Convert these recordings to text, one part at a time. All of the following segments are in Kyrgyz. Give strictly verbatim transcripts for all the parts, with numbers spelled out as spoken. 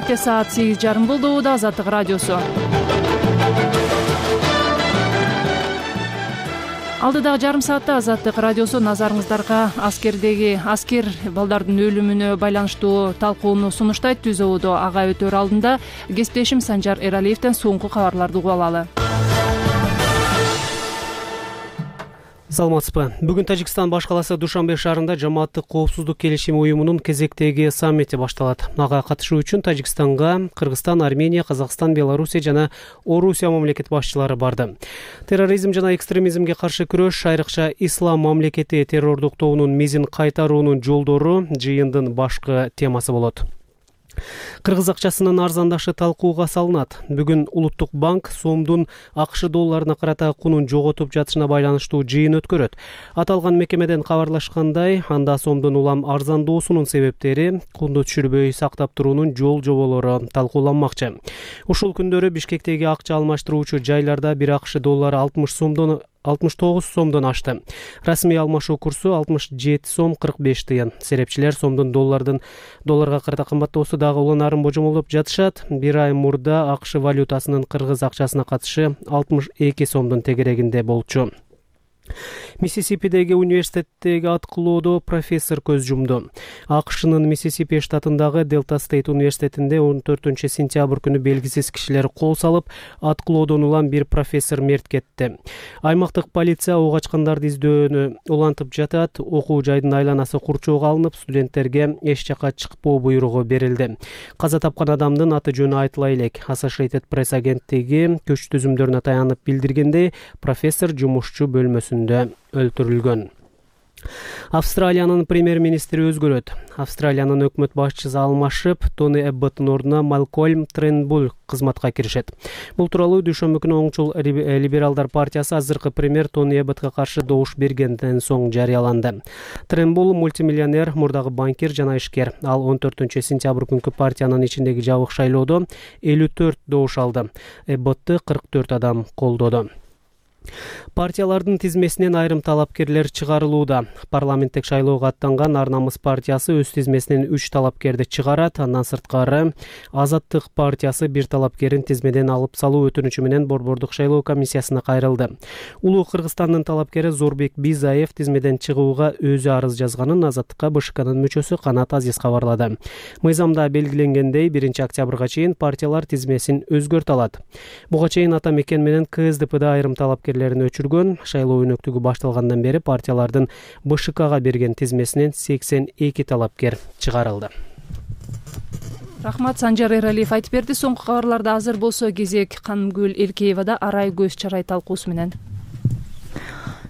Бишкекте саат сегиз жарым болду. Убада Азаттык радиосу. Алдыдагы жарым саатта Азаттык радиосу назарыңыздарга аскердеги аскер балдардын өлүмүнө байланыштуу талкууну сунуштайт. Түз ободо ага өтөр алдында кесиптешим Санжар Эралиевден соңку кабарларды угуп алалы. Саламатсызбы. Бүгүн Тажикстан баш каласы Душанбе шаарында жамааттык коопсуздук келишими уюмунун кезектеги саммити башталат. Ага катышуу үчүн Тажикстанга Кыргызстан, Армения, Казакстан, Белоруссия жана Орусия мамлекет башчылары барды. Терроризм жана экстремизмге каршы күрөш, айрыкча Ислам мамлекети террордук тобунун мизин кайтаруунун жолдору жыйындын башкы темасы болот. Кыргыз акчасынын арзандашы талкууга салынат. Бүгүн Улуттук банк сомдун АКШ долларына карата кунун жоготуп жатышына байланыштуу жыйын өткөрөт. Аталган мекемеден кабарлашкандай, анда сомдун улам арзандоосунун себептери, кунду түшүрбөй сактап туруунун жол жоболору талкууланмакчы. Ушул күндөрү Бишкектеги акча алмаштыруучу жайларда бир АКШ доллары алтымыш сомдон алтымыш тогуз сомдон ашты. Расмий алмашуу курсу алтымыш жети сом кырк беш тыйын. Серепчилер сомдун доллардын долларга карата кымбаттоосу дагы уланарын божомолдоп жатышат. Бир ай мурда АКШ валютасынын кыргыз акчасына катышы алтымыш эки сомдун тегерегинде болчу. Миссисипидеги университеттеги аткылоодо профессор көз жумду. АКШнын Миссисипи штатындагы Делта Стейт университетинде он төртүнчү сентябрь күнү белгисиз кишилер кол салып, аткылоодон улам бир профессор мерт кетти. Аймактык полиция ок ачкандарды издөөнү улантып жатат. Окуу жайдын айланасы курчоого алынып, студенттерге эч жака чыкпоо буйругу берилди. Каза тапкан адамдын аты жөнү айтыла элек. Associated Press агенттиги көч түзүмдөрүнө таянып билдиргендей, профессор жумушчу бөлмөсүндө өлтүрүлгөн. Австралиянын премьер-министри өзгөрөт. Австралиянын өкмөт башчысы алмашып, Тони Эбботтун ордуна Малкольм Тренбул кызматка киришет. Бул тууралуу дүйшөмбү күнү оңчул либералдар партиясы азыркы премьер Тони Эбботко каршы добуш бергенден соң жарыяланды. Тренбул мультимиллионер, мурдагы банкир жана ишкер. Ал он төртүнчү сентябрь күнкү партиянын ичиндеги жабык шайлоодо элүү төрт добуш алды. Эбботту кырк төрт адам колдоду. Партиялардын тизмесинен айрым талапкерлер чыгарылууда. Парламенттик шайлоого аттанган Ар намыс партиясы өз тизмесинен үч талапкерди чыгарат. Андан сырткары Азаттык партиясы бир талапкерин тизмеден алып салуу өтүнүчү менен Борбордук шайлоо комиссиясына кайрылды. Улуу Кыргызстандын талапкери Зорбек Бизаев тизмеден чыгууга өзү арыз жазганын Азаттыкка БШКнын мүчөсү Канат Азиз кабарлады. Мыйзамда белгиленгендей, биринчи октябрга чейин партиялар тизмесин өзгөртө алат. Буга чейин Ата Мекен менен КСДПда айрым талапкер өчүргөн. Шайлоо өнөктүгү башталгандан бери партиялардын БШКга берген тизмесинен сексен эки талапкер чыгарылды. Рахмат, Санжар Эралиев айтып берди. Соңку кабарларда азыр болсо кезек Канымгүл Элкеевада арай көз чарай талкуусу менен.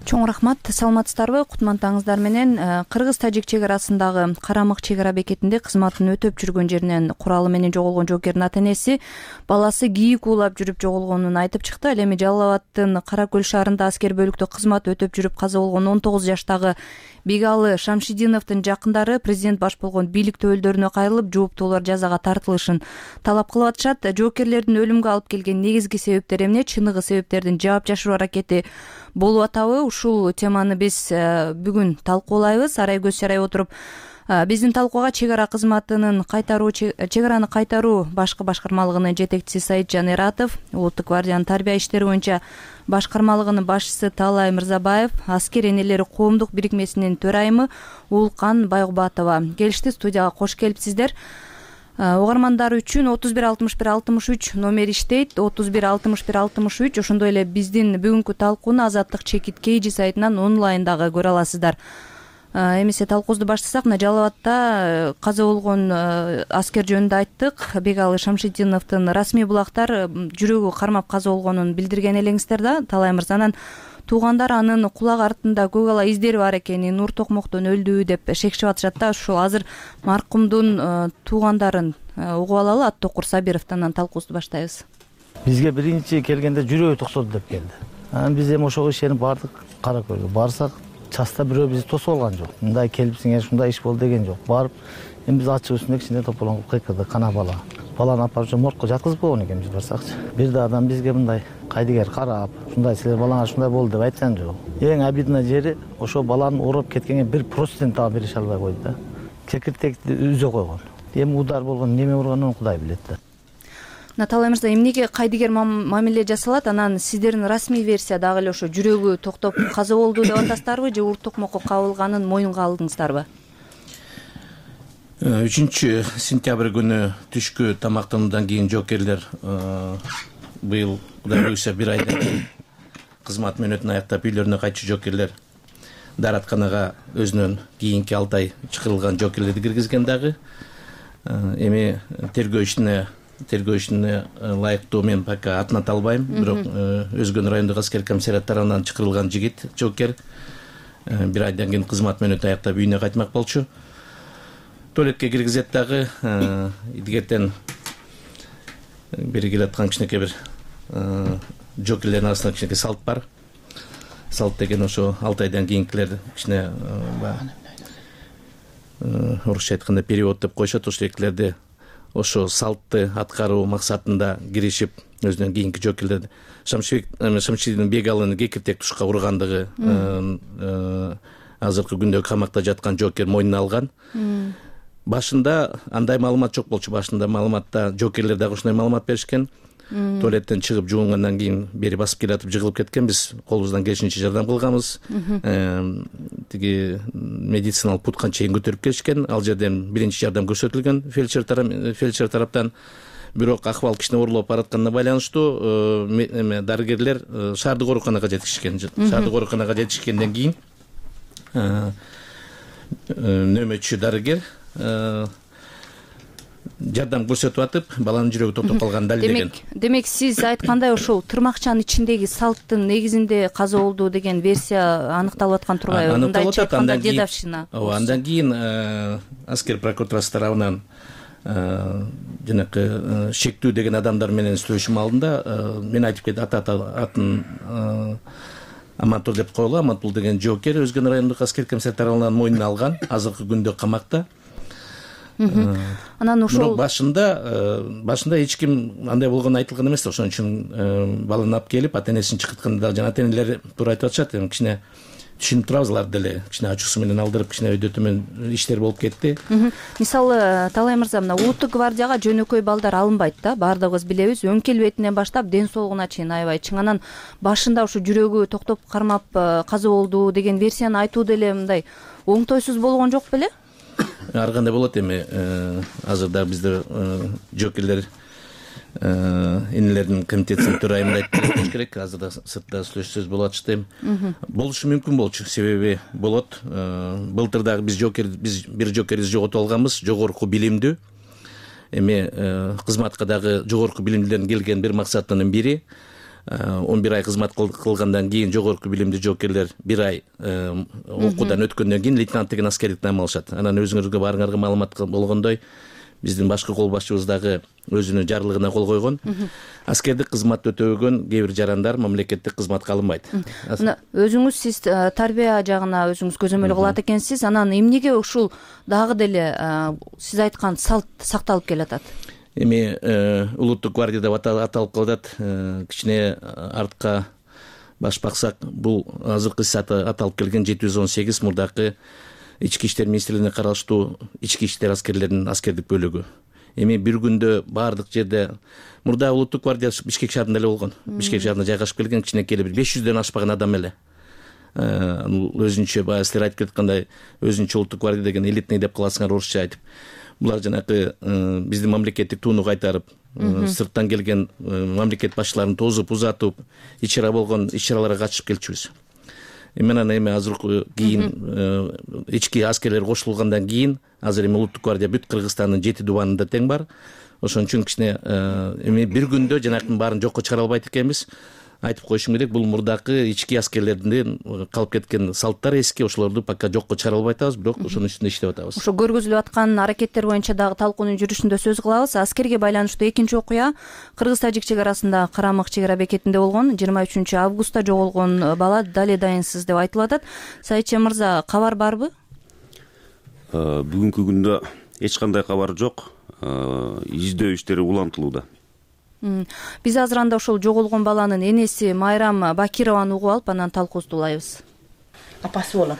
Чоң рахмат, саламатсыздарбы? Кутмантаңыздар менен. Кыргыз-Тажик чек арасындагы Карамык чек ара бекетинде кызматын өтөп жүргөн жеринен куралы менен жоголгон жоокердин ата-энеси баласы кийик уулап жүрүп жоголгонун айтып чыкты. Ал эми Жалал Абадтын Кара Көл шаарында аскер бөлүктө кызмат өтөп жүрүп каза болгон он тогуз жаштагы Бегалы Шамшидиновдун жакындары президент баш болгон бийлик төбөлдөрүнө кайрылып, жооптуулар жазага тартылышын талап кылып атышат. Жоокерлердин өлүмгө алып келген негизги себептери эмне? Чыныгы себептердин жаап жашыруу аракети болуп атабы? Ушул теманы биз бүгүн талкуулайбыз. Арай көз чарай отуруп биздин талкууга чек ара кызматынын кайтаруу чек араны кайтаруу башкы башкармалыгынын жетекчиси Саитжан Эратов, Улуттук гвардиянын тарбия иштери боюнча башкармалыгынын башчысы Талай Мырзабаев, аскер энелери коомдук бирикмесинин төрайымы Уулкан Байгубатова келишти. Студияга кош келипсиздер. Угармандар үчүн отуз бир алтымыш бир алтымыш үч номер иштейт. отуз бир алтымыш бир алтымыш үч. Ошондой эле биздин бүгүнкү талкууну Азаттык чекит Кейжи сайтынан онлайн дагы көрө аласыздар. Эмесе талкуубузду баштасак, мына Жалал Абадта каза болгон аскер жөнүндө айттык. Бегалы Шамшидиновдун расмий булактар жүрөгү кармап каза болгонун билдирген элеңиздер да. Талай мырзанын туугандар анын кулагы артында көк ала издери бар экенин, нур токмоктон өлдү деп шекчип атышат да. Ушул азыр маркумдун туугандарын угуп алалы. Аттокур Сабировдон талкуубузду баштайбыз. Бизге биринчи келгенде жүрөгү токсоду деп келди. Анан биз эми ошого ишенип бардык. Кара Көлгө барсак, часта бирөө бизди тосуп алган жок. Мындай келипсиңер, ушундай иш болду деген жок. Барып, эми биз ачык үстүндө кичине тополоңуп кыйкырдык, кана бала. Баланы алып барып моргко жаткызып койгон экенбиз барсакчы. Бир да адам бизге мындай кайдыгер карап, ушундай силер балаңар ушундай болду деп айткан жок. Эң абидный жери ошо баланын ооруп кеткенге бир процент дагы берише албай койду да. Кекиртекти үзө койгон. эми удар болгон неме урганын Кудай билет да. Наталия мырза, эмнеге кайдыгер мамиле жасалат? Анан сиздердин расмий версия дагы эле ошо жүрөгү токтоп каза болду деп атасыздарбы же урт токмокко кабылганын мойнунга алдыңыздарбы? үчүнчү сентябрь күнү түшкү тамактануудан кийин жоокерлер быйыл Кудай буюрса бир айдан кийин кызмат мөөнөтүн аяктап үйлөрүнө кайтчу жоокерлер дааратканага өзүнөн кийинки алты ай чакырылган жоокерлерди киргизген дагы. Эми тергөө ишине тергөө ишине ылайыктуу мен пока атын ата албайм, бирок Өзгөн райондук аскердик комиссариат тарабынан чакырылган жигит жоокер бир айдан кийин кызмат мөөнөтүн аяктап үйүнө кайтмак болчу. Туалетке киргизет дагы идигертен бери келаткан кичинекей бир жоокерлердин арасында кичинекей салт бар. Салт деген ошо алты айдан кийинкилер кичине орусча айтканда перевод деп коюшат. Ошо экилерди ошо салтты аткаруу максатында киришип өзүнөн кийинки жоокерлерди Шамшидин Бегалыны кекиртек тушка ургандыгы азыркы күндө камакта жаткан жоокер мойнуна алган. Башында андай маалымат жок болчу. Башында маалыматта жоокерлер дагы ушундай маалымат беришкен. Туалеттен чыгып жуунгандан кийин бери басып келатып жыгылып кеткен. Биз колубуздан келишинче жардам кылганбыз. Тиги медициналык путкан чейин көтөрүп келишкен. Ал жерден биринчи жардам көрсөтүлгөн фельдшер фельдшер тараптан. Бирок акыбал кичине оорлоп баратканына байланыштуу дарыгерлер шаардык ооруканага жетишкен. Шаардык ооруканага жетишкенден кийин нөөмөтчү дарыгер жардам көрсөтүп атып, баланын жүрөгү токтоп калганын далилдеген. Демек, сиз айткандай ошол тырмакчанын ичиндеги салттын негизинде каза болду деген версия аныкталып аткан турбайбы? Мындайча айтканда дедовщина. Ооба, андан кийин аскер прокуратурасы тарабынан жанакы шектүү деген адамдар менен сүйлөшүү алдында мен айтып кетти, атын Амантур деп коелу. Амантул деген жоокер Өзгөн райондук аскердик комиссариат тарабынан мойнуна алган, азыркы күндө камакта. Анан ошол башында башында эч ким андай болгону айтылган эмес. Ошон үчүн баланы алып келип, ата энесин чакыртканда жана ата энелер туура айтып атышат. Эми кичине түшүнүп турабыз, алар деле кичине ачуусу менен алдырып, кичине өйдө төмөн иштер болуп кетти. Мисалы, Талай мырза, мына улуттук гвардияга жөнөкөй балдар алынбайт да, баардыгыбыз билебиз. Өң келбетинен баштап ден соолугуна чейин аябай чың. Анан башында ушу жүрөгү токтоп кармап каза болду деген версияны айтуу деле мындай оңтойсуз болгон жок беле? Ар кандай болот. Эми азыр дагы бизде жоокерлер энелердин комитетинин төрайымы айтып керек. Азыр да сыртта сүйлөшсөз болуп атышты. Болушу мүмкүн болчу. Себеби болот. Былтыр дагы биз жоокер биз бир жоокерибизди жоготуп алганбыз, жогорку билимдүү. Эми кызматка дагы жогорку билимдүүлөрдүн келген бир максатынын бири он бир ай кызмат кылгандан кийин жогорку билимдүү жоокерлер бир ай окуудан өткөндөн кийин лейтенант деген аскердик наам алышат. Анан өзүңөргө баарыңарга маалымат болгондой, биздин башкы кол башчыбыз дагы өзүнүн жарлыгына кол койгон. Аскердик кызмат өтөбөгөн кээ бир жарандар мамлекеттик кызматка алынбайт. Мына өзүңүз сиз тарбия жагына өзүңүз көзөмөл кылат экенсиз. Анан эмнеге ушул дагы деле сиз айткан салт сакталып келатат? Эми улуттук гвардия деп аталып калат. Кичине артка баш баксак, бул азыркы сааты аталып келген жети жүз он сегиз мурдакы Ички иштер министрлигине караштуу ички иштер аскерлеринин аскердик бөлүгү. Эми бир күндө баардык жерде мурда улуттук гвардия Бишкек шаарында эле болгон. Бишкек шаарына жайгашып келген кичинекей бир беш жүздөн ашпаган адам эле. Өзүнчө баягы силер айтып кеткандай, өзүнчө улуттук гвардия деген элитный деп каласыңар орусча айтып. Булар жанакы биздин мамлекеттик тууну кайтарып, сырттан келген мамлекет башчыларын тозуп, узатып, ич-чара болгон иш-чараларга катышып келчүбүз. Эми анан эми азыркы кийин ички аскерлер кошулгандан кийин азыр эми улуттук гвардия бүт Кыргызстандын жети дубанында тең бар. Ошон үчүн кичине эми бир күндө жанакынын баарын жокко чыгара албайт экенбиз. Айтып коюшум керек, бул мурдакы ички аскерлердин калып кеткен салттар эски, ошолорду пока жокко чыгара албай атабыз, бирок ошонун үстүндө иштеп атабыз. Ошо көргөзүлүп аткан аракеттер боюнча дагы талкуунун жүрүшүндө сөз кылабыз. Аскерге байланыштуу экинчи окуя Кыргыз-Тажик чек арасында Карамык чек ара бекетинде болгон. жыйырма үчүнчү августта жоголгон бала дале дайынсыз деп айтылып атат. Сайытчы мырза, кабар барбы? Бүгүнкү күндө эч кандай кабар жок. Издөө иштери улантылууда. Биз азыр анда ошол жоголгон баланын энеси Майрам Бакированы угуп алып, анан талкуубузду улайбыз. Апасы болом.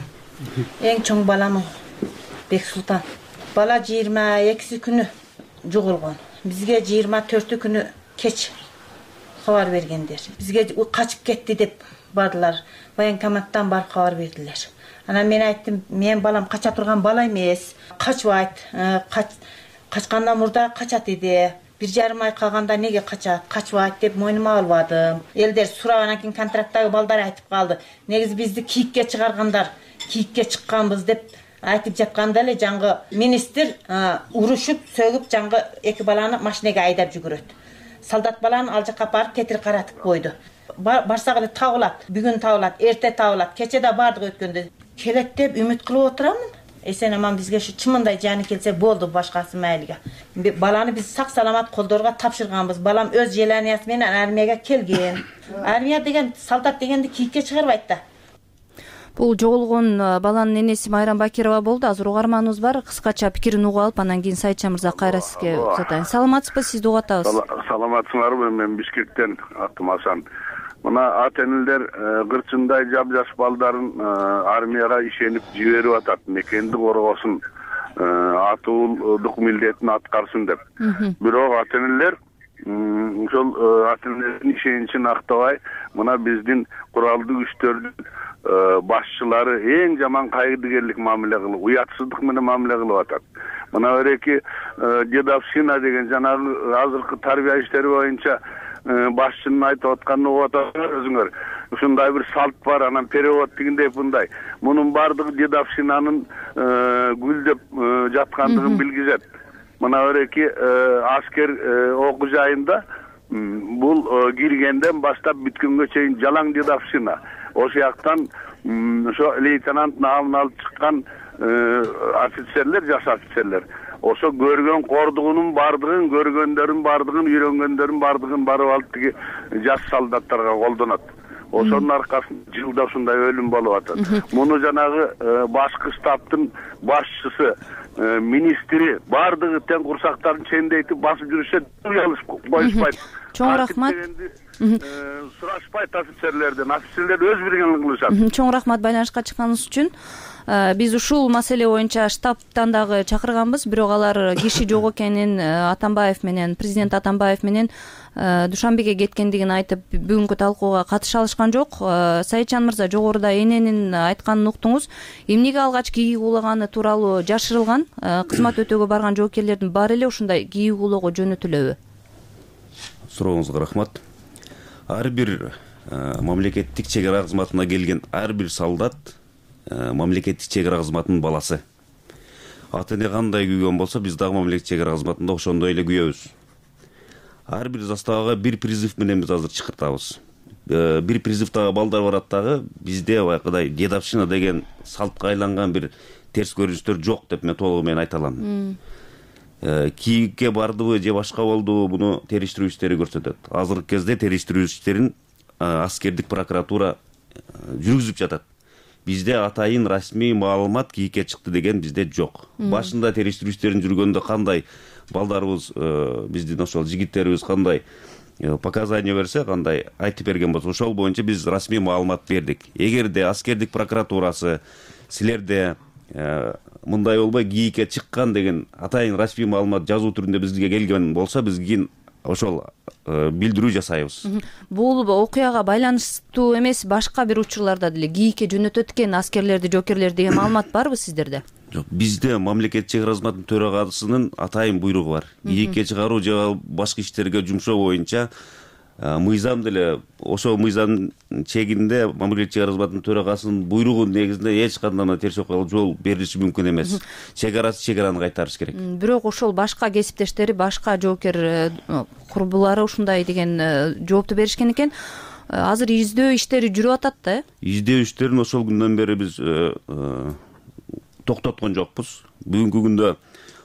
Эң чоң балам Бексултан. бала жыйырма экиси күнү жоголгон. Бизге жыйырма төртү күнү кеч кабар бергендер. Бизге качып кетти деп бардылар. Военкоматтан барып кабар бердилер. Анан мен айттым, мен балам кача турган бала эмес, качбайт. Качкандан мурда качат эди. Бир жарым ай калганда неге качат, качбайт деп мойнума албадым. Элдер сурагандан кийин контракттагы балдар айтып калды. Негизи бизди кийикке чыгаргандар, кийикке чыкканбыз деп айтып жатканда эле жаңгы министр урушуп, сөгүп жаңгы эки баланы машинеге айдап жүгүрөт. Солдат баланы ал жака барып кетир каратып койду. Барсак эле табылат, бүгүн табылат, эрте табылат, кече да бардык өткөндө. Келет деп үмүт кылып отурамын. Эсен аман бизге ушу чымындай жаны келсе болду, башкасы майлыга. Баланы биз сак саламат колдорго тапшырганбыз. Балам өз желаниясы менен армияга келген. Армия деген, солдат дегенди кийикке чыгарбайт да. Бул жоголгон баланын энеси Майрам Бакирова болду. Азыр угарманыбыз бар. Кыскача пикирин угуп алып, анан кийин Сайытжан мырза кайра сизге узатайын. Саламатсызбы? Сизди угуп атабыз. Саламатсыңарбы? Мен Бишкектен, атым Асан. Мына ата-энелер кырчындай жап-жаш балдарын армияга ишенип жиберип атат, мекенди коргосун, атуулдук милдетин аткарсын деп. Бирок ата-энелер ошол ата-энелердин ишеничин актабай, мына биздин куралдуу күчтөрдүн башчылары эң жаман кайгыдыгерлик мамиле кылып, уятсыздык менен мамиле кылып атат. Мына эреки дедовщина деген жанагы азыркы тарбия иштери боюнча башчынын айтып атканын угуп атасыңар өзүңөр. Ушундай бир салт бар, анан перевод дегендей мындай. Мунун бардыгы дедовщинанын гүлдөп жаткандыгын билгизет. Мына эреки аскер окуу жайында бул киргенден баштап бүткөнгө чейин жалаң дедовщина. Ошол жактан ошо лейтенант наамын алып чыккан офицерлер, жаш офицерлер ошо көргөн кордугунун бардыгын, көргөндөрүн бардыгын, үйрөнгөндөрүн бардыгын барып алып тиги жаш солдаттарга колдонот. Ошонун аркасында жылда ушундай өлүм болуп атат. Муну жанагы башкы штабтын башчысы, министри бардыгы тең курсактарын чендейтип басып жүрүшөт, уялышып коюшпайт. Чоң рахмат. Сурашпайт офицерлерден, офицерлер өз билгенин кылышат. Чоң рахмат байланышка чыкканыңыз үчүн. Биз ушул маселе боюнча штабтан дагы чакырганбыз, бирок алар киши жок экенин, Атамбаев менен, президент Атамбаев менен Душанбеге кеткендигин айтып, бүгүнкү талкууга катыша алышкан жок. Сайытжан мырза, жогоруда эненин айтканын уктуңуз. Эмнеге алгач кийик уулаганы тууралуу жашырылган? Кызмат өтөөгө барган жоокерлердин баары эле ушундай кийик уулоого жөнөтүлөбү? Сурооңузга рахмат. Ар бир мамлекеттик чек ара кызматына келген ар бир солдат мамлекеттик чек ара кызматынын баласы. Ата-эне кандай күйгөн болсо, биз дагы мамлекеттик чек ара кызматында ошондой эле күйөбүз. Ар бир заставага бир призыв менен биз азыр чакыртабыз. Бир призывдагы балдар барат дагы, бизде баягыдай дедовщина деген салтка айланган бир терс көрүнүштөр жок деп мен толугу менен айта алам. Кийикке бардыбы же башка болдубу, буну териштирүү иштери көрсөтөт. Азыркы кезде териштирүү иштерин аскердик прокуратура жүргүзүп жатат. Бизде атайын расмий маалымат кийикке чыкты деген бизде жок. Башында териштирүү иштерин жүргөндө кандай балдарыбыз, биздин ошол жигиттерибиз кандай показания берсе, кандай айтып берген болсо, ошол боюнча биз расмий маалымат бердик. Эгерде аскердик прокуратурасы силерде мындай болбой кийикке чыккан деген атайын расмий маалымат жазуу түрүндө бизге келген болсо, биз кийин ошол билдирүү жасайбыз. Бул окуяга байланыштуу эмес, башка бир учурларда деле кийикке жөнөтөт экен аскерлерди, жокерлерди деген маалымат барбы сиздерде? Жок, бизде мамлекеттик чек ара кызматынын төрагасынын атайын буйругу бар. Кийикке чыгаруу же башка иштерге жумшоо боюнча мыйзам деле, ошол мыйзам чегинде мамлекеттик чек ара кызматынын төрагасынын буйругу негизинде эч кандай терс окуяга жол берилиши мүмкүн эмес. Чек арасы чек араны кайтарыш керек. Бирок ошол башка кесиптештери, башка жоокер курбулары ушундай деген жоопту беришкен экен. Азыр издөө иштери жүрүп атат да? Издөө иштерин ошол күндөн бери биз токтоткон жокпуз. Бүгүнкү күндө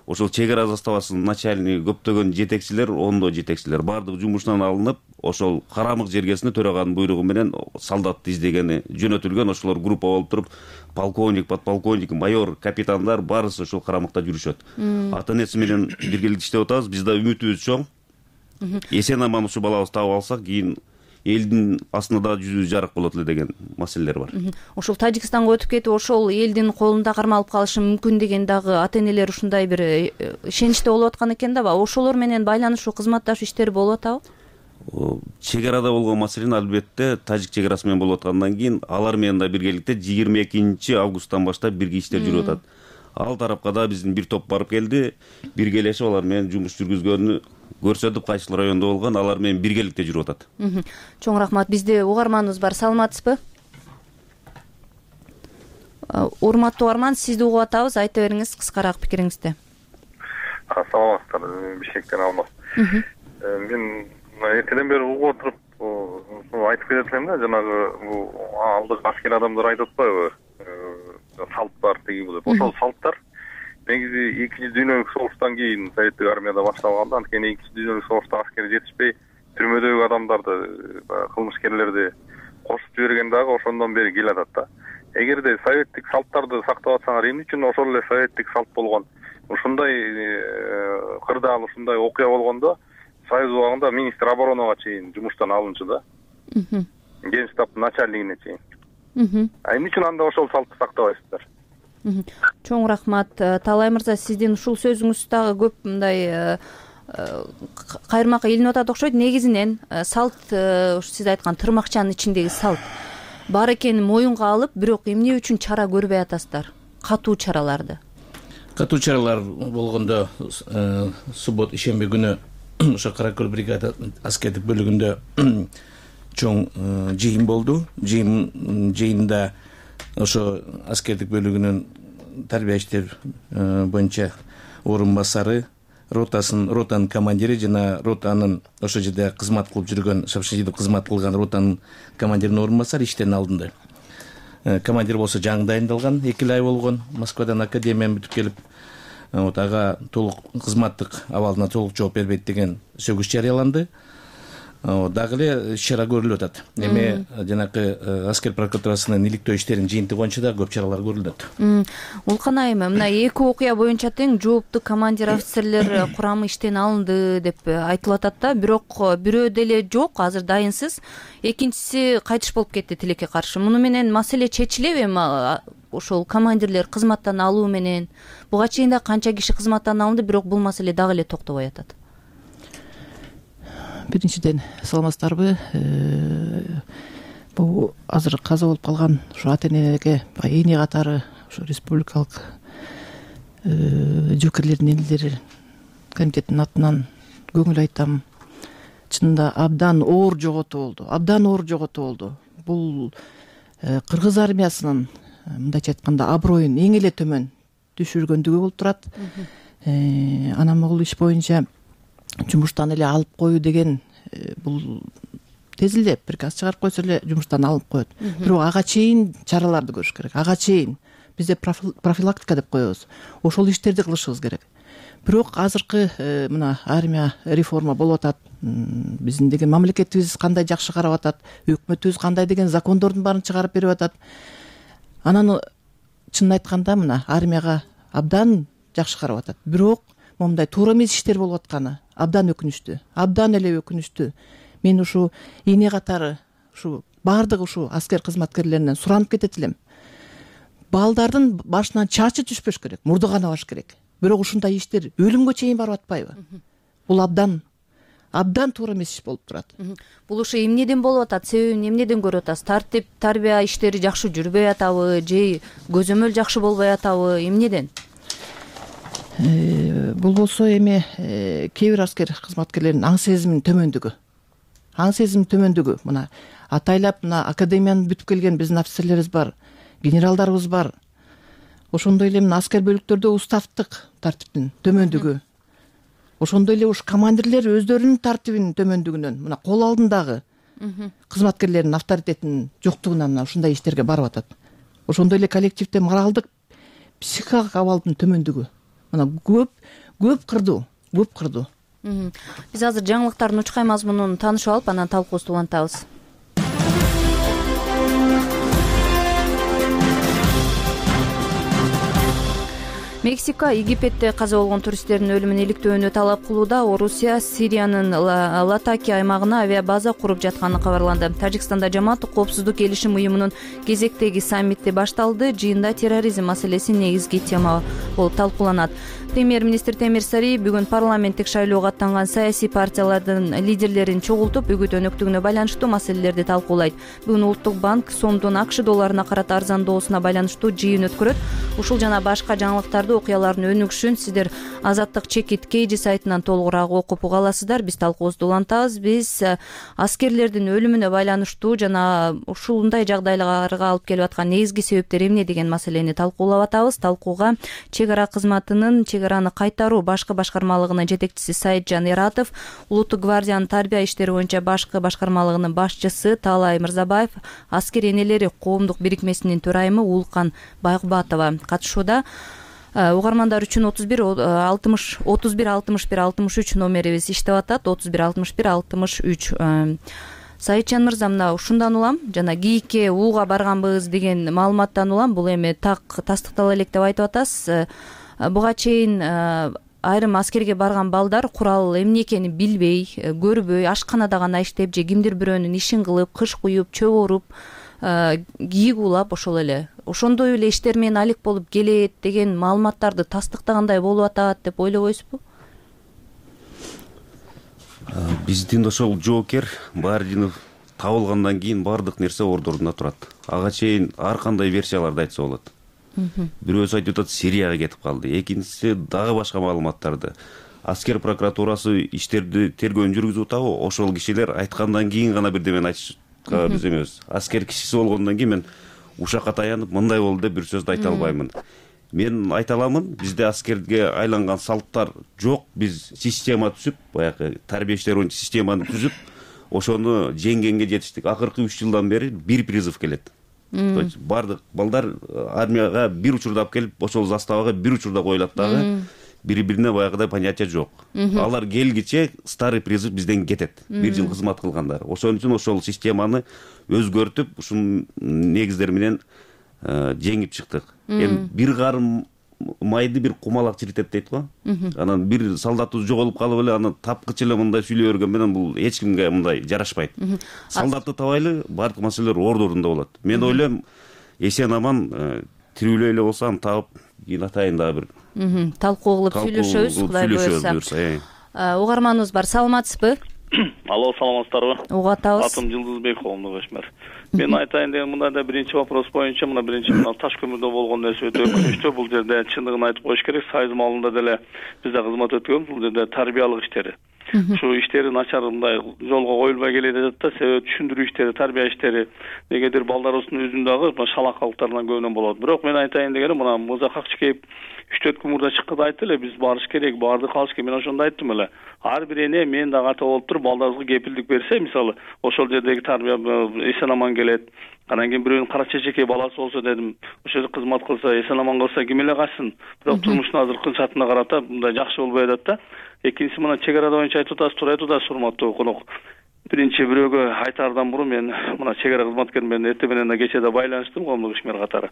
ошол чек ара заставасынын начальниги, көптөгөн жетекчилер, ондо жетекчилер бардык жумушунан алынып, ошол Карамык жергесинде төраганын буйругу менен солдатты издегени жөнөтүлгөн. Ошолор группа болуп туруп, полковник, подполковник, майор, капитандар баарысы ошол Карамыкта жүрүшөт. Ата-энеси менен биргеликте иштеп атабыз. Бизде үмүтүбүз чоң. Эсен аман ушу балабызды таап алсак, кийин элдин астында дагы жүзү жарык болот эле деген маселелер бар. Ошол Тажикстанга өтүп кетип ошол элдин колунда кармалып калышы мүмкүн деген дагы ата энелер ушундай бир ишеничте болуп аткан экен да. Ошолор менен байланышуу кызматташуу иштери болуп атабы? Чек арада болгон маселени албетте тажик чек арасы менен болуп аткандан кийин алар менен да биргеликте жыйырма экинчи августтан баштап бирге иштер жүрүп атат. Ал тарапка да биздин бир топ барып келди, биргелешип алар менен жумуш жүргүзгөнү көрсөтүп, кайсыл райондо болгон алар менен биргеликте жүрүп атат. Чоң рахмат. Бизде угарманыбыз бар. Саламатсызбы? Урматтуу угарман, сизди угуп атабыз. Айта бериңиз кыскараак пикириңизди. Саламатсыздар, Бишкектен Алмаз. Мен эртеден бери угуп отуруп айтып кетет элем да, жанагы бул алдык аскер адамдар айтып атпайбы? Салттар тиги бул деп. Ошол салттар негизи экинчи дүйнөлүк согуштан кийин советтик армияда башталганда, анткени экинчи дүйнөлүк согушта аскер жетишпей түрмөдөгү адамдарды, кылмышкерлерди кошуп жиберген дагы ошондон бери келатат да. Эгерде советтик салттарды сактап атсаңар, эмне үчүн ошол эле советтик салт болгон ушундай кырдаал, ушундай окуя болгондо Союз убагында министр оборонага чейин жумуштан алынчу да. Генштабтын начальнигине чейин. А эмне үчүн анда ошол салтты сактабайсыздар? Чоң рахмат. Талай мырза, сиздин ушул сөзүңүз дагы көп мындай кайырмакка илинип атат окшойт. Негизинен салт, сиз айткан тырмакчанын ичиндеги салт бар экенин моюнга алып, бирок эмне үчүн чара көрбөй атасыздар? Катуу чараларды. Катуу чаралар болгондо суббот ишемби күнү ошо Кара Көл бригада аскердик бөлүгүндө чоң жыйын болду. Жыйын жыйында ошо аскердик бөлүгүнүн тарбия иштер боюнча орун басары, ротасын ротанын командири жана ротанын ошо жерде кызмат кылып жүргөн, шапшыйдып кызмат кылган ротанын командиринин орун басары иштен алынды. Командир болсо жаңы дайындалган, эки ай болгон, Москвадан академияны бүтүп келип, вот ага толук кызматтык абалына толук жооп бербейт деген сөгүш жарыяланды. Дагы эле иш-чара көрүлүп атат. Эми жанакы аскер прокуратурасынын иликтөө иштеринин жыйынтыгы боюнча да көп чаралар көрүлүп атат. Улкан айым, мына эки окуя боюнча тең жооптуу командир офицерлер курамы иштен алынды деп айтылып атат да, бирок бирөө деле жок, азыр дайынсыз. Экинчиси кайтыш болуп кетти тилекке каршы. Муну менен маселе чечилеби? Ошол командирлер кызматтан алуу менен буга чейин да канча киши кызматтан алынды, бирок бул маселе дагы эле токтобой атат. Биринчиден, саламатсыздарбы? Бул азыр каза болуп калган ушу ата энелерге эне катары ушу республикалык жоокерлердин энелери комитетинин атынан көңүл айтам. Чынында абдан оор жоготуу болду. Абдан оор жоготуу болду. Бул кыргыз армиясынын мындайча айтканда аброюн эң эле төмөн түшүргөндүгү болуп турат. Анан бул иш боюнча жумуштан эле алып коюу деген бул тез эле приказ чыгарып койсо эле жумуштан алып коет. Бирок ага чейин чараларды көрүш керек. Ага чейин бизде профилактика деп коебуз. Ошол иштерди кылышыбыз керек. Бирок азыркы мына армия реформа болуп атат. Биздин деген мамлекетибиз кандай жакшы карап атат, өкмөтүбүз кандай деген закондордун баарын чыгарып берип атат. Анан чынын айтканда мына армияга абдан жакшы карап атат. Бирок момундай туура эмес иштер болуп атканы абдан өкүнүчтүү. Абдан эле өкүнүчтүү. Мен ушу эне катары ушу баардык ушу аскер кызматкерлеринен суранып кетет элем. Балдардын башынан чачы түшпөш керек, мурду канабаш керек. Бирок ушундай иштер өлүмгө чейин барып атпайбы? Бул абдан абдан туура эмес иш болуп турат. Бул ушу эмнеден болуп атат? Себебин эмнеден көрүп атасыз? Тартип, тарбия иштери жакшы жүрбөй атабы, же көзөмөл жакшы болбой атабы? Эмнеден? Бул болсо эми кээ бир аскер кызматкерлердин аң сезиминин төмөндүгү. Аң сезиминин төмөндүгү. Мына атайлап мына академияны бүтүп келген биздин офицерлерибиз бар, генералдарыбыз бар. Ошондой эле мына аскер бөлүктөрдө уставдык тартиптин төмөндүгү. Ошондой эле уш командирлер өздөрүнүн тартибинин төмөндүгүнөн, мына кол алдындагы кызматкерлердин авторитетинин жоктугунан мына ушундай иштерге барып атат. Ошондой эле коллективде моралдык, психикалык абалдын төмөндүгү. Мына көп көп кырдуу, көп кырдуу. Биз азыр жаңылыктардын учкай мазмунун таанышып алып, анан талкуубузду улантабыз. Мексика Египетте каза болгон туристтердин өлүмүн иликтөөнү талап кылууда. Орусия Сириянын Латакия аймагына авиабаза куруп жатканы кабарланды. Тажикстанда жамааттык коопсуздук келишим уюмунун кезектеги саммити башталды. Жыйында терроризм маселеси негизги тема болуп талкууланат. Премьер-министр Темир Сарий бүгүн парламенттик шайлоого аттанган саясий партиялардын лидерлерин чогултуп, үгүт өнөктүгүнө байланыштуу маселелерди талкуулайт. Бүгүн Улуттук банк сомдун АКШ долларына карата арзандоосуна байланыштуу жыйын өткөрөт. Ушул жана башка жаңылыктарды, окуялардын өнүгүшүн сиздер Азаттык чекит Кейжи сайтынан толугураак окуп уга аласыздар. Биз талкуубузду улантабыз. Биз аскерлердин өлүмүнө байланыштуу жана ушундай жагдайларга алып келип аткан негизги себептер эмне деген маселени талкуулап атабыз. Талкууга чек ара кызматынын чек араны кайтаруу башкы башкармалыгынын жетекчиси Сайытжан Эратов, Улуттук гвардиянын тарбия иштери боюнча башкы башкармалыгынын башчысы Таалай Мырзабаев, аскер энелери коомдук бирикмесинин төрайымы Уулкан Байгубатова катышууда. Угармандар үчүн отуз бир алтымыш отуз бир алтымыш бир алтымыш үч номерибиз иштеп атат. отуз бир алтымыш бир алтымыш үч. Сайытжан мырза, мына ушундан улам жана Гийикке Ууга барганбыз деген маалыматтан улам бул эми так тастыктала элек деп айтып атасыз. Буга чейин айрым аскерге барган балдар курал эмне экенин билбей, көрбөй, ашканада гана иштеп же кимдир бирөөнүн ишин кылып, кыш куюп, чөп оруп, кийик уулап ошол эле ошондой эле иштер менен алек болуп келет деген маалыматтарды тастыктагандай болуп атат деп ойлобойсузбу? Биздин ошол жоокер Баардинов табылгандан кийин баардык нерсе ордуруна турат. Ага чейин ар кандай версияларды айтса болот. Бирөөсү айтып атат Сирияга кетип калды, экинчиси дагы башка маалыматтарды. Аскер прокуратурасы иштерди тергөөнү жүргүзүп атабы? Ошол кишилер айткандан кийин гана бирдемени айтышка биз эмес. Аскер кишиси болгондон кийин мен ушакка таянып мындай болду деп бир сөздү айта албаймын. Мен айта аламын, бизде аскерге айланган салттар жок. Биз система түзүп, баягы тарбия иштери боюнча системаны түзүп, ошону жеңгенге жетиштик. Акыркы үч жылдан бери бир призыв келет. То есть бардык балдар армияга бир учурда алып келип, ошол заставага бир учурда коюлат дагы. Бири-бирине баягыдай понятие жок. Алар келгиче старый призыв бизден кетет. Бир жыл кызмат кылгандар. Ошон үчүн ошол системаны өзгөртүп, ушун негиздер менен жеңип чыктык. Эми бир карым майды бир кумалак чиритет дейт го. Анан бир солдатыбыз жоголуп калып эле аны тапкычы эле мындай сүйлөй берген менен бул эч кимге мындай жарашпайт. Солдатты табайлы, бардык маселелер ордурунда болот. Мен ойлойм, эсен аман тирүүлөй эле болсо аны табып, кийин атайын дагы бир талкуу кылып сүйлөшөбүз, Кудай буйрса. Угарманыбыз бар, саламатсызбы? Алло, саламатсыздарбы? Угуп атабыз. Атым Жылдызбек, коомдук ишмер. Мен айтайын деген мындай да биринчи вопрос боюнча, мына биринчи мына таш көмүрдө болгон нерсе өтө өкүнүчтүү. Бул жерде чындыгын айтып коюш керек. Сайыз маалында деле бизде кызмат өткөнбүз. Бул жерде тарбиялык иштери. Ушу иштери начар мындай жолго коюлбай келет атат да, себеби түшүндүрүү иштери, тарбия иштери негедир балдарыбыздын өзүн дагы шалакалыктарынан көбүнөн болот. Бирок мен айтайын дегеним, мына Мырза Какчыкеев үч төрт күн мурда чыкканда айтты эле, биз барыш керек, барды калыш керек. Мен ошондо айттым эле. Ар бир эне мен дагы ата болуп туруп балдарыбызга кепилдик берсе, мисалы, ошол жердеги тарбия эсен аман келет. Анан кийин бирөөнүн кара чечекей баласы болсо дедим, ошол жерде кызмат кылса, эсен аман калса ким эле качсын. Бирок турмуштун азыркы шартына карата мындай жакшы болбой атат да. Экинчиси мына чек ара боюнча айтып атасыз, туура айтып атасыз, урматтуу конок. Биринчи бирөөгө айтаардан мурун мен мына чек ара кызматкери менен эртең менен да кече да байланыштым, коомдук ишмер катары.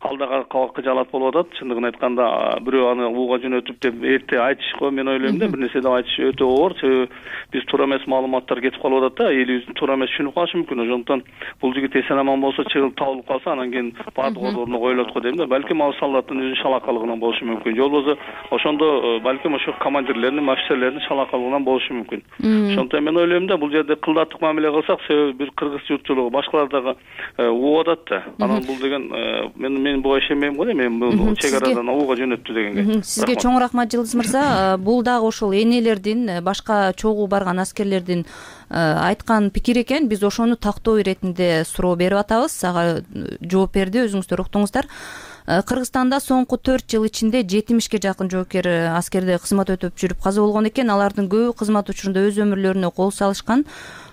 Ал дагы кабакка жалат болуп атат. Чындыгын айтканда, бирөө аны Ууга жөнөтүп деп эрте айтышко мен ойлойм да, бир нерсе деп айтыш өтө оор. Себеби биз туура эмес маалыматтар кетип калып атат да, элибиздин туура эмес түшүнүп калышы мүмкүн. Ошондуктан бул жигит эсен аман болсо, чыгып табылып калса, анан кийин баардык ордуруна коюлат го дейм да. Балким ал солдаттын өзүнүн шалакалыгынан болушу мүмкүн. Же болбосо ошондо балким ошо командирлердин, офицерлердин шалакалыгынан болушу мүмкүн. Ошондуктан мен ойлойм да, бул жерде кылдаттык мамиле кылсак, себеби бир кыргыз журтчулугу башкалар дагы угуп атат да. Анан бул деген мен мен буга ишенбейм го, мен бул чек арадан Ууга жөнөттү дегенге. Сизге чоң рахмат, Жылдыз мырза. Бул дагы ошол энелердин, башка чогуу барган аскерлердин айткан пикир экен. Биз ошону тактоо иретинде суроо берип атабыз. Ага жооп берди, өзүңүздөр уктуңуздар. Кыргызстанда соңку төрт жыл ичинде жетимишке жакын жоокер аскерде кызмат өтөп жүрүп каза болгон экен. Алардын көбү кызмат учурунда өз өмүрлөрүнө кол салышкан.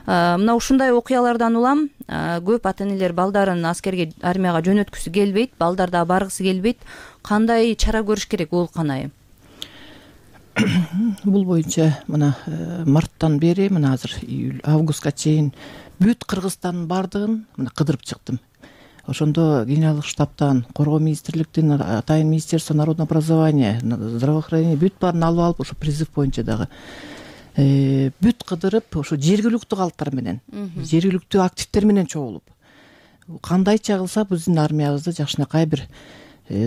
Мына ушундай окуялардан улам көп ата энелер балдарын аскерге, армияга жөнөткүсү келбейт, балдар да баргысы келбейт. Кандай чара көрүш керек, Уулкан айым? Бул боюнча мына марттан бери мына азыр июль, августка чейин бүт Кыргызстандын бардыгын мына кыдырып чыктым. ошондо генералдык штабтан, коргоо министрликтин, атайын министерство народного образования, здравоохранения бүт баарын алып алып ошо призыв боюнча дагы бүт кыдырып ошо жергиликтүү калктар менен, жергиликтүү активдер менен чогулуп кандайча кылса биздин армиябызды жакшынакай бир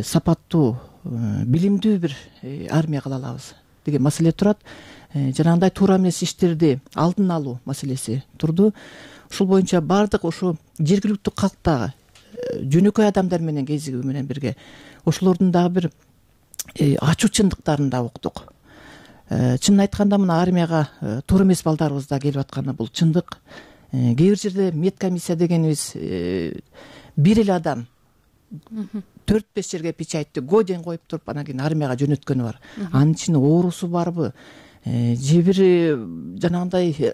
сапаттуу, билимдүү бир армия кыла алабыз деген маселе турат. Жанагындай туура эмес иштерди алдын алуу маселеси турду. Ушул боюнча баардык ошо жергиликтүү калктагы жөнөкөй адамдар менен кезигүү менен бирге ошолордун дагы бир ачуу чындыктарын да уктук. Чынын айтканда мына армияга туура эмес балдарыбыз да келип атканы бул чындык. Кээ бир жерде медкомиссия дегенибиз бир эле адам төрт беш жерге печатьти годен коюп туруп анан кийин армияга жөнөткөнү бар. Анын ичинде оорусу барбы, же бир жанагындай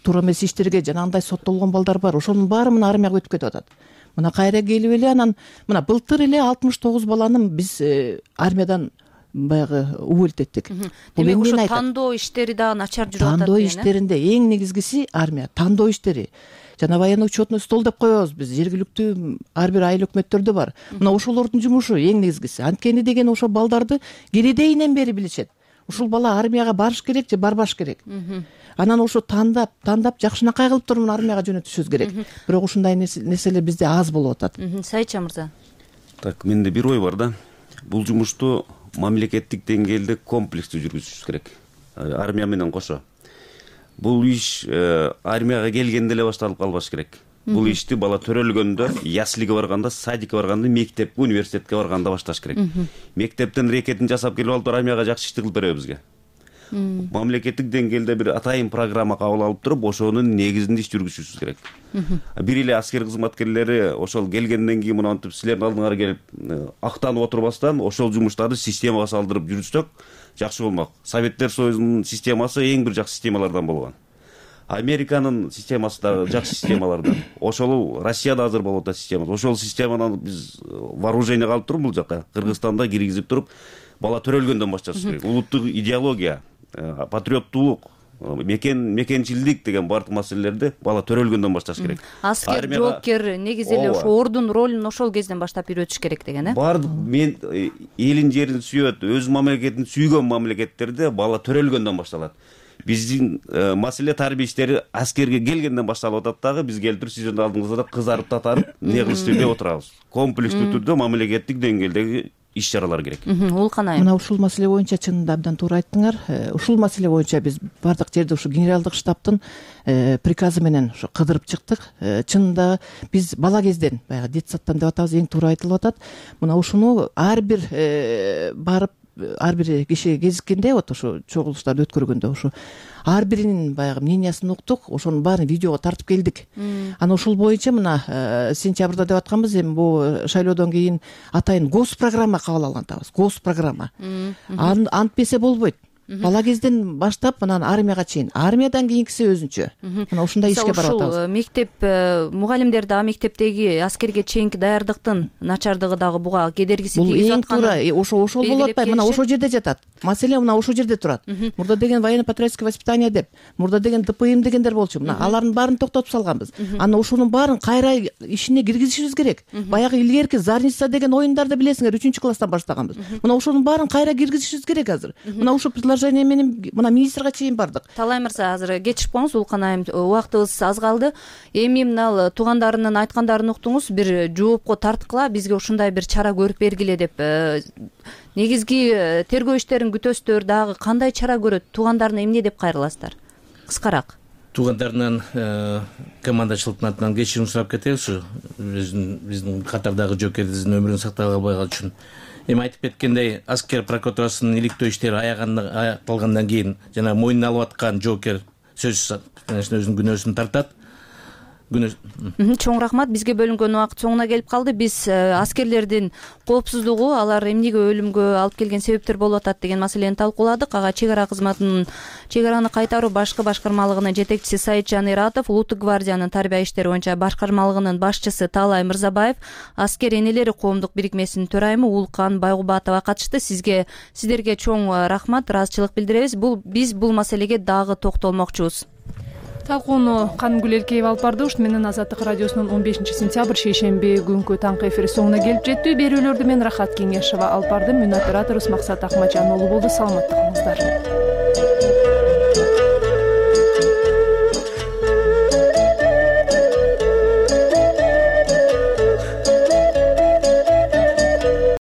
туура эмес иштерге жанагындай соттолгон балдар бар. Ошонун баары мына армияга өтүп кетип атат. Мына кайра келип эле анан мына былтыр эле алтымыш тогуз баланы биз армиядан баягы уволить эттик. Демек ошо тандоо иштери дагы начар жүрүп атат. Тандоо иштеринде эң негизгиси армия тандоо иштери. Жана военный учетный стол деп коебуз биз, жергиликтүү ар бир айыл өкмөттөрдө бар. Мына ошолордун жумушу эң негизгиси. Анткени деген ошо балдарды киридейинен бери билишет. Ушул бала армияга барыш керек же барбаш керек. Анан ошо тандап, тандап жакшынакай кылып туруп армияга жөнөтүшүбүз керек. Бирок ушундай нерселер бизде аз болуп атат. Сайча мырза. Так, менде бир ой бар да. Бул жумушту мамлекеттик деңгээлде комплекстүү жүргүзүшүбүз керек. Армия менен кошо. Бул иш армияга келгенде эле башталып калбаш керек. Бул ишти бала төрөлгөндө, яслиге барганда, садикке барганда, мектепке, университетке барганда башташ керек. Мектептен рекетин жасап келип алып армияга жакшы ишти кылып беребиз бизге. Мамлекеттик деңгээлде бир атайын программа кабыл алып туруп, ошонун негизинде иш жүргүзүшүбүз керек. Бир эле аскер кызматкерлери ошол келгенден кийин монтип силердин алдыңарга келип актанып отурбастан ошол жумуштарды системага салдырып жүрсөк жакшы болмок. Советтер Союзунун системасы эң бир жакшы системалардан болгон. Американын системасы да жакшы системалардан. Ошол Россияда азыр болуп атат система. Ошол системаны биз вооружение алып туруп бул жака Кыргызстанда киргизип туруп бала төрөлгөндөн башташ керек. Улуттук идеология, патриоттуулук, мекен мекенчилдик деген бардык маселелерди бала төрөлгөндөн башташ керек. Аскер, жоокер негизи эле ошо ордун ролун ошол кезден баштап үйрөтүш керек деген, э? Бардык мен элин жерин сүйөт, өз мамлекетин сүйгөн мамлекеттерде бала төрөлгөндөн башталат. Биздин маселе тарбия иштери аскерге келгенден башталып атат дагы, биз келтирип сиздердин алдыңызда кызарып татарып не кылышты деп отурабыз. Комплекстүү түрдө мамлекеттик деңгээлдеги иш чаралар керек. Улкан айым. Мына ушул маселе боюнча чынында абдан туура айттыңар. Ушул маселе боюнча биз бардык жерде ушу генералдык штабтын приказы менен ушу кыдырып чыктык. Чынында биз бала кезден, баягы детсадтан деп атабыз, эң туура айтылып атат. Мына ушуну ар бир барып ар бир киши кезиккенде, вот ошо чогулуштарды өткөргөндө ошо ар биринин баягы мнениясын уктук, ошонун баарын видеого тартып келдик. Анан ушул боюнча мына сентябрда деп атканбыз, эми бул шайлоодон кийин атайын госпрограмма кабыл алган атабыз. Госпрограмма. Антпесе болбойт. Бала кезден баштап анан армияга чейин, армиядан кийинкиси өзүнчө. Мына ушундай ишке барып атабыз. Ушул мектеп мугалимдер дагы мектептеги аскерге чейинки даярдыктын начардыгы дагы буга кедергиси тийгизип атканы. Бул эң туура, ошо ошол болуп атпайбы? Мына ошол жерде жатат. Маселе мына ошол жерде турат. Мурда деген военно-патриотическое воспитание деп, мурда деген ДПМ дегендер болчу. Мына алардын баарын токтотуп салганбыз. Анан ошонун баарын кайра ишине киргизишибиз керек. Баягы илгерки Зарница деген оюндарды билесиңер, үчүнчү класстан баштаганбыз. Мына ошонун баарын кайра киргизишибиз керек азыр. Мына ушул менен мына министрге чейин бардык. Талай мырза, азыр кечирип коңуз, Улкан айым, убактыбыз аз калды. Эми мына туугандарынын айткандарын уктуңуз, бир жоопко тарткыла, бизге ушундай бир чара көрүп бергиле деп. Негизги тергөө иштерин күтөсүздөр, дагы кандай чара көрөт? Туугандарына эмне деп кайрыласыздар? Кыскараак. Туугандарынан командачылыктын атынан кечирим сурап кетебиз. Биздин катардагы жоокердин өмүрүн сактап албай калыш үчүн. Эми айтып кеткендей, аскер прокуратурасынын иликтөө иштери аякталгандан кийин жана мойнуна алып аткан жоокер сөзсүз өзүнүн күнөөсүн тартат. Чоң рахмат. Бизге бөлүнгөн убакыт соңуна келип калды. Биз аскерлердин коопсуздугу, алар эмнеге өлүмгө алып келген себептер болуп атат деген маселени талкууладык. Ага чек ара кызматынын чек араны кайтаруу башкы башкармалыгынын жетекчиси Саитжан Иратов, Улуттук гвардиянын тарбия иштери боюнча башкармалыгынын башчысы Талай Мырзабаев, аскер энелери коомдук бирикмесинин төрайымы Улкан Байгубатова катышты. Сизге сиздерге чоң рахмат, ыраазычылык билдиребиз. Бул биз бул маселеге дагы токтолмокчубуз. талкууну Канымгүл Элкеева алып барды. Ушуну менен Азаттык радиосунун он бешинчи сентябрь шейшемби күнкү таңкы эфири соңуна келип жетти. Берүүлөрдү мен Рахат Кеңешова алып бардым. Мөн операторубуз Максат Акмажан уулу болду. Саламаттык болуңуздар.